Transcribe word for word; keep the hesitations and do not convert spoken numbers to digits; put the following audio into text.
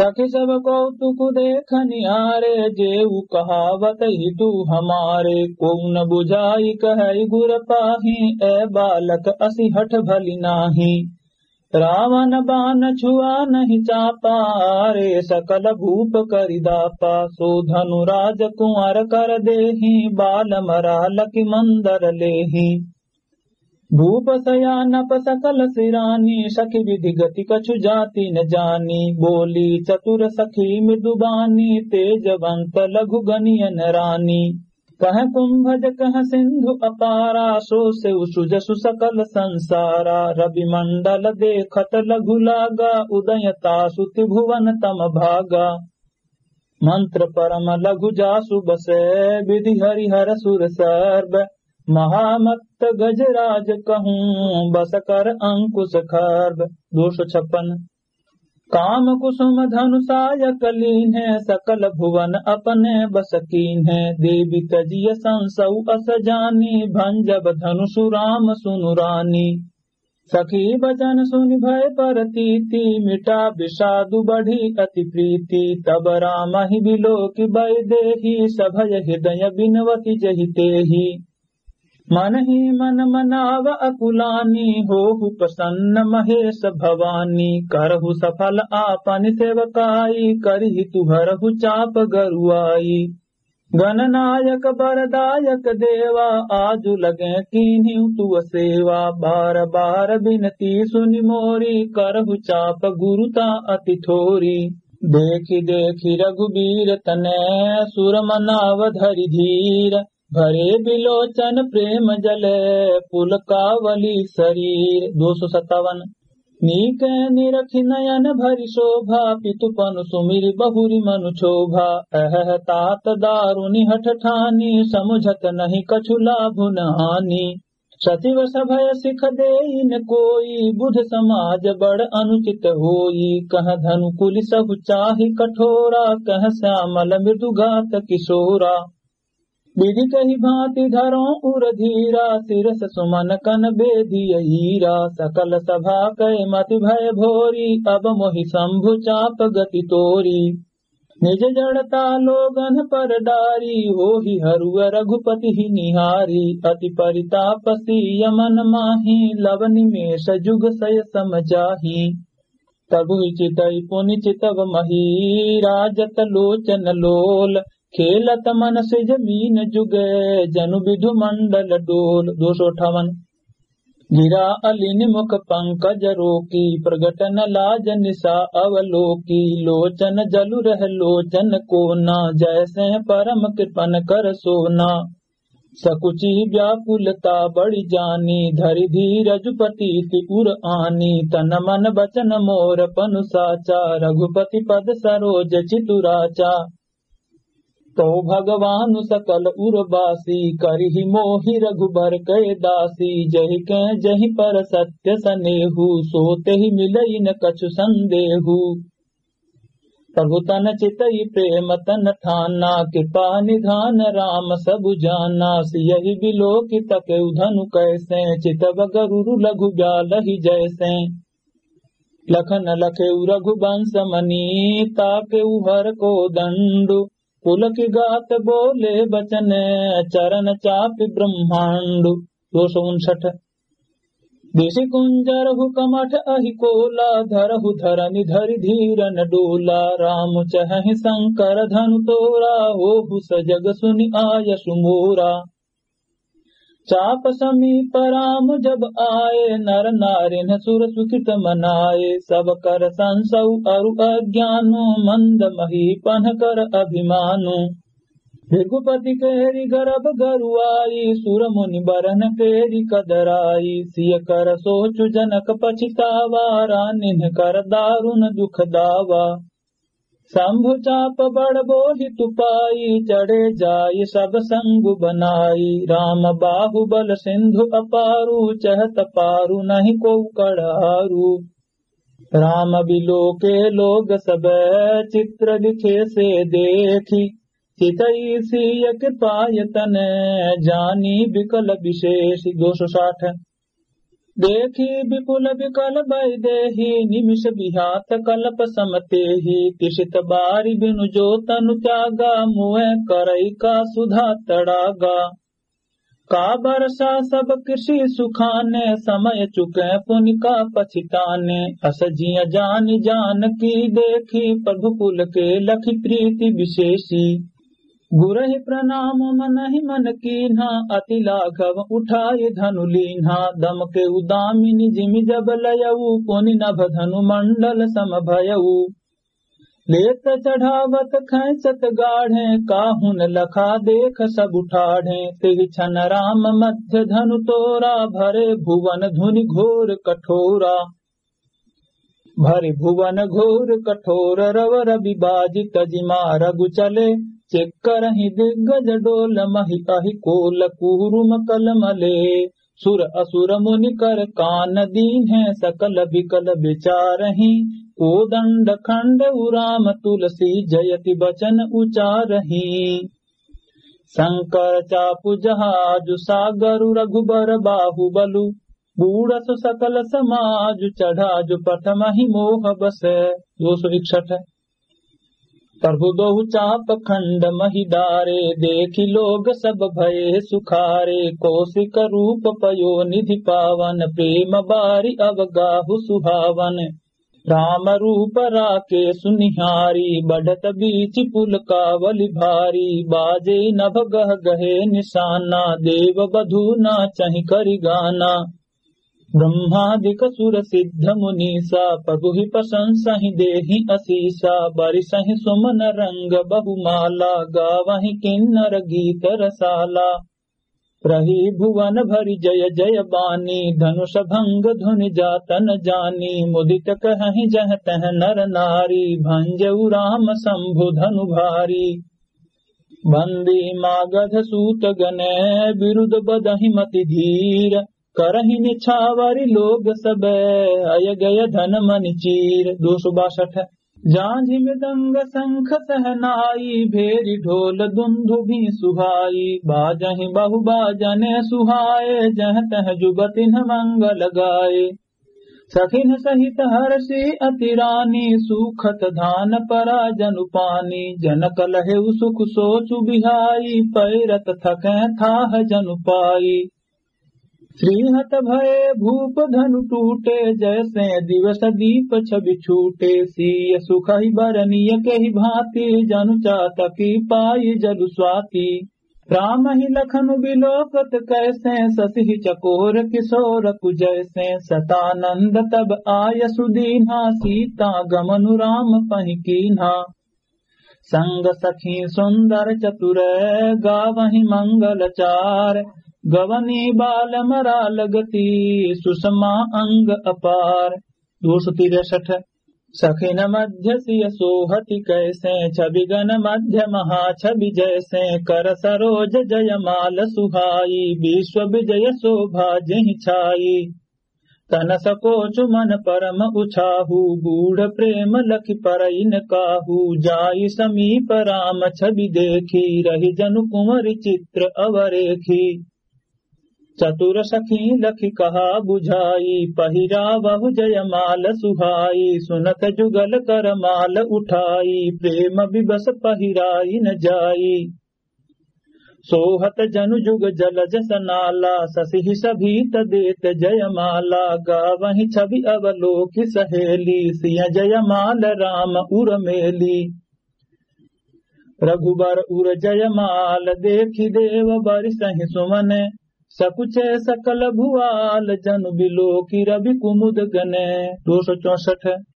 सखी सब कौतुक देख निहारे, जेऊ कहावत हितु हमारे। कोउ न बुझाई कहइ गुर पाही, ए बालक असि हठ भली नाही। रावण बान छुआ नहीं चापा, रे सकल भूप करि दापा। सो धनु राज कुंवर कर देही, बाल मरा लखि मंदर लेही। भूप सयानप सकल सिरानी, सखी विधि गति कछु जाति न जानी। बोली चतुर सखी मृदुबानी, तेजवंत लघु गनियन रानी। कह कुंभज कह सिंधु अपारा, सो सेउ सुजसु सकल संसारा। रवि मंडल देखत लघु लागा, उदय तासु त्रिभुवन तम भागा। मंत्र परम लघु जासु बसे, विधि हरि हर सुर सर्व। महामत्त गजराज कहूँ, बस कर अंकुश खर्व। दो सौ छप्पन। काम कुसुम धनुषायक लीन्हे, सकल भुवन अपने बस कीन्हे। देवि तजिय संसउ अस जानी, भंजब धनुषु राम सुनु रानी। सखी बचन सुनि भय परतीति, मिटा विषादु बढ़ी अति प्रीति। तब रामहि बिलोकि बइ देही, सभय हृदय बिनवति जहि तेही। मन ही मन मनाव अकुलानी, होहु प्रसन्न महेश भवानी। करहु सफल आपन सेवकाई, करिहि तुहरहु चाप गरुआई। गणनायक बरदायक देवा, आजु लगे कीन्हिउ तुअ सेवा। बार बार बिनती सुनि मोरी, करहु चाप गुरुता अति थोरी। देखि देखि रघुबीर तने, सुर मनाव धरि धीर। भरे बिलोचन प्रेम जले, पुलकावली शरीर। दो सौ सत्तावन। नीक निरखि नयन भरि शोभा, पितु पनु सुमिरि बहुरि मनु क्षोभा। अहह तात दारुनि हठ ठानी, समुझत नहीं कछु लाभ न हानि। सचिव सभय सिख देइन कोई, बुध समाज बड़ अनुचित होई। कह धनु कुलि सहु चाहि कठोरा, कह श्यामल मृदु गात किशोरा। विधि कहि भांति धरो उर धीरा, सिरस सुमन कन बेधिय हीरा। सकल सभा कै मति भय भोरी, अब मोहि शंभु चाप गति तोरी। निज जड़ता लोगन पर डारी, होहि हरुअ रघुपति ही निहारी। अति परिताप सीय मन माही, लव निमेष जुग सय सम जाही। तबहि चितई पुनि चितव मही, राजत लोचन लोल। खेलत मन सिज मीन जुगे, जनु विधु मंडल डोल। दो सौ अट्ठावन। गिरा अलिनि मुख पंकज रोकी, प्रगट न लाज निसा अवलोकी। लोचन जलु रह लोचन कोना, जैसे परम कृपन कर सोना। सकुचि व्याकुलता बड़ी जानी, धरि धीरज प्रतीति उर आनी। तन मन बचन मोर पनु साचा, रघुपति पद सरोज चितु राचा। कहो भगवानु सकल उरबासी, करिहि मोहि रघुबर कै दासी। जहि कै जहि पर सत्य सनेहु, सो तेहि मिलइ न कछु संदेहु। प्रभु तन चितइ प्रेम तन ठाना, कृपा निधान राम सब जाना। सियहि बिलोकि तकेउ धनु कैसें, चितव गरुरु लघु ब्यालहि जैसें। लखन लखेउ रघुबंस मनी, ताकेउ हर कोदंडु। पुलकि गात बोले बचन, चरन चापि ब्रह्मांडु। दो सौ उनसठ। दिशि कुंजरहु कमठ अहि कोला, धरहु धरनि धरि धीरन डोला। राम चहहि संकर धनु तोरा, होहु सजग सुनि आयसु मोरा। चाप समीप राम जब आए, नर नारिन सुर सुखित मनाए। सब कर संसउ अरु अज्ञानु, मंद महीपन कर अभिमानु। भृगुपति केरि गरब गरुआई, सुर मुनि बरन केरि कदराई। सिय कर सोचु जनक पछितावा, रानिन कर दारुन दुख दावा। शंभु चाप बड़ बोहि तुपाई, चढ़े जाई सब संगु बनाई। राम बाहुबल सिंधु अपारु, चहत पारु नहीं कोउ कड़ारु। राम बिलोके लोग सब, चित्र लिखे से देखी। चितई सिय कृपायतन, जानी बिकल विशेष। दो सौ साठ। देखि विपुल विकल वैदेही, निमिष विहात कल्प सम तेहि। तृषित बारि बिनु जो तनु त्यागा, मुए करई का सुधा तड़ागा। का बरसा सब कृषि सुखाने, समय चुके पुनि का पछिताने। अस जिय जानि जानकी, देखि प्रभु पुलके लखि प्रीति विशेषी। गुरहि प्रणाम मनहि मन कीन्हा, अति लाघव उठाइ धनु लीन्हा। दमके उदामिनि जिमि जब लयऊ, पुनि नभ धनु मंडल सम भयऊ। लेत चढ़ावत खैंचत गाढ़े, काहुन लखा देख सब ठाढ़े। तेहि छन राम मध्य धनु तोरा, भरे भुवन धुनि घोर कठोरा। भरि भुवन घोर कठोर, रव रवि बाजि तजि मारगु चले। चेक करहिं दिग्गज डोल, महि अहि कोल कूरुम कल मले। सुर असुर मुनि कर कान दीन्हे, सकल विकल विचारहिं। कोदंड खंडउ राम तुलसी, जयति बचन उचारहिं। शंकर चापु जहाजु सागरु, रघुबर बाहुबलु। बूढ़सु सकल समाजु, चढ़ाजु पट महि मोह बस। दो सौ इकसठ। प्रभु दोहु चाप खंड महि डारे, देखि लोग सब भये सुखारे। कौशिक रूप पयो निधि पावन, प्रेम बारि अवगाहु सुहावन। राम रूप राकेसु निहारी, बढ़त बीचि पुलकावलि भारी। बाजे नभ गह गहे निसाना, देव बधू नाचहिं करि गाना। ब्रह्मादिक सुर सिद्ध मुनीसा, प्रभु ही प्रशंसहिं देहिं असीसा। बरिसहिं सुमन रंग बहुमाला, गावहिं किन्नर गीत रसाला। रही भुवन भरि जय जय बानी, धनुष भंग धुनि जात न जानी। मुदित कहहिं जह तह नर नारी, भंजउ राम शंभु धनु भारी। बंदी मागध सूत गने, बिरुद बदहिं मति धीर। करहिं निछावरि लोग सब, अय गय धन मनि चीर। दो सौ बासठ। जांझि मृदंग शंख सहनाई, भेरि ढोल दुंदुभि सुहाई। बाजहिं बहु बाजने सुहाए, जह तह जुग तिन्ह मंगल गाए। सखिन सहित हरषि अति रानी, सूखत धान परा जनु पानी। जनक लहेउ सुख सोचु बिहाई, पैरत थकें थाह जनु पाई। श्रीहत भये भूप धनु टूटे, जैसे दिवस दीप छवि छूटे। सीय सुखहि बरनिय केहि भांति, जनु चातकी पाई जलु स्वाति। रामहि लखनु बिलोकत कैसे, शशिहि चकोर किशोर कु जैसे। सतानंद तब आयसु दीन्हा, सीता गमनु राम पहि कीन्हा। संग सखी सुंदर चतुर गावहिं मंगल चार, गवनी बाल मराल गति सुषमा अंग अपार। दो सौ तिरसठ। सखिन मध्य सिय सोहति कैसे, छवि गन मध्य महा छवि जैसे। कर सरोज जयमाल सुहाई, विश्व विजय शोभा जेहि छाई। तन सकोच मन परम उछाहु, गूढ़ प्रेम लखि परइ न काहु। जाई समीप राम छवि देखि, रहि जनु कुंवरि चित्र अवरेखि। चतुर सखी लखि कहा बुझाई, पहिरावहु जयमाल सुहाई। सुनत जुगल कर माल उठाई, प्रेम विवश पहिराइ न जाई। सोहत जनु जुग जलजस नाला, शशिहि सभीत देत जयमाला। गावहिं छवि अवलोकि सहेली, सिय जयमाल राम उर मेली। रघुबर उर जयमाल देखि देव बरिसहिं सुमन। सकुचे सकल भुआल जनु बिलोकि रवि कुमुद गने। दो सौ चौसठ।